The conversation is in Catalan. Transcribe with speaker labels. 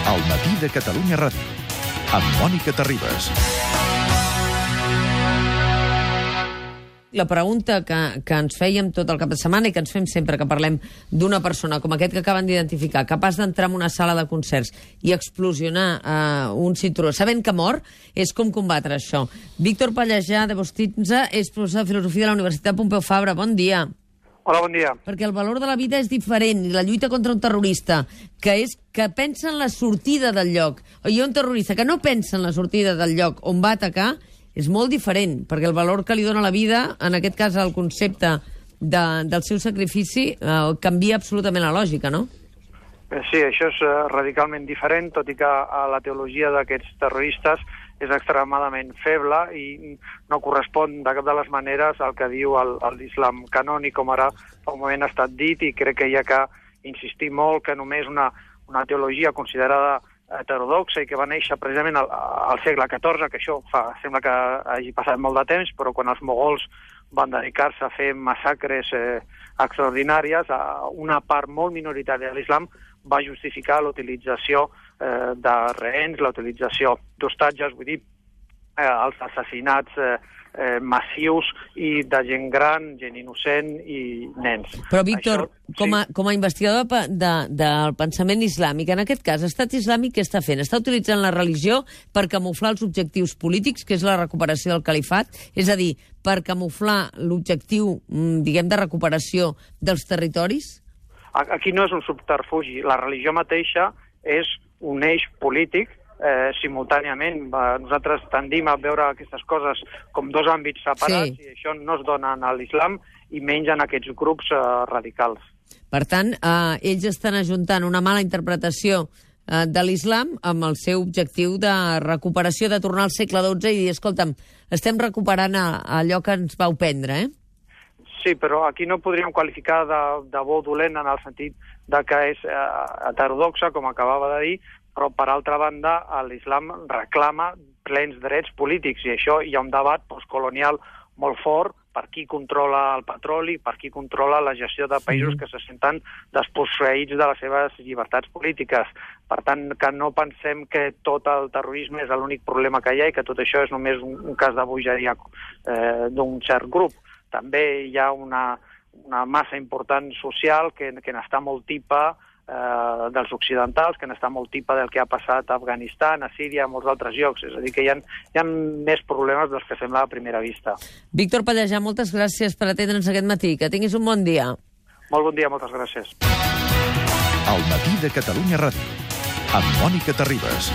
Speaker 1: Al matí de Catalunya Ràdio, amb Mònica Terribas.
Speaker 2: La pregunta que ens fèiem tot el cap de setmana i que ens fem sempre que parlem d'una persona com aquest que acaben d'identificar, capaç d'entrar en una sala de concerts i explosionar un cinturó, sabent que mor, és com combatre això. Víctor Pallejà, de Bostitza, és professor de Filosofia de la Universitat Pompeu Fabra. Bon dia.
Speaker 3: Hola, bon dia.
Speaker 2: Perquè el valor de la vida és diferent, i la lluita contra un terrorista, que és que pensa en la sortida del lloc, i un terrorista que no pensa en la sortida del lloc on va atacar, és molt diferent, perquè el valor que li dona la vida, en aquest cas el concepte del seu sacrifici, canvia absolutament la lògica, no?
Speaker 3: Sí, això és radicalment diferent, tot i que la teologia d'aquests terroristes és extremadament feble i no correspon de cap de les maneres al que diu l'islam canònic, com ara fa un moment ha estat dit, i crec que hi ha que insistir molt que només una teologia considerada heterodoxa i que va néixer precisament al segle XIV, que això sembla que hagi passat molt de temps, però quan els mogols van dedicar-se a fer massacres extraordinàries, una part molt minoritària de l'islam va justificar l'utilització de rehens, la utilització d'hostatges, vull dir, els assassinats massius i de gent gran, gent innocent i nens.
Speaker 2: Però, Víctor, com a investigador del pensament islàmic, en aquest cas, l'Estat Islàmic què està fent? Està utilitzant la religió per camuflar els objectius polítics, que és la recuperació del califat? És a dir, per camuflar l'objectiu, diguem, de recuperació dels territoris?
Speaker 3: Aquí no és un subterfugi. La religió mateixa és un eix polític simultàniament. Nosaltres tendim a veure aquestes coses com dos àmbits separats, sí. I això no es dona a l'islam i menys en aquests grups radicals.
Speaker 2: Per tant, ells estan ajuntant una mala interpretació de l'islam amb el seu objectiu de recuperació, de tornar al segle XII i dir, escolta'm, estem recuperant allò que ens vau prendre,
Speaker 3: Sí, però aquí no podríem qualificar de bo dolent en el sentit de que és heterodoxa, com acabava de dir, però per altra banda l'islam reclama plens drets polítics i això hi ha un debat postcolonial molt fort per qui controla el petroli, per qui controla la gestió de països que se senten desposseïts de les seves llibertats polítiques. Per tant, que no pensem que tot el terrorisme és l'únic problema que hi ha i que tot això és només un cas de bogeria d'un cert grup. També hi ha una massa important social que n'està molt tipa dels occidentals, que n'està molt tipa del que ha passat a Afganistan, a Síria, a molts altres llocs. És a dir, que hi ha més problemes dels que sembla a primera vista.
Speaker 2: Víctor Pallejà, moltes gràcies per atendre'ns aquest matí. Que tinguis un bon dia.
Speaker 3: Molt bon dia, moltes gràcies.
Speaker 1: Al matí de Catalunya Ràdio, amb Mònica Terribas.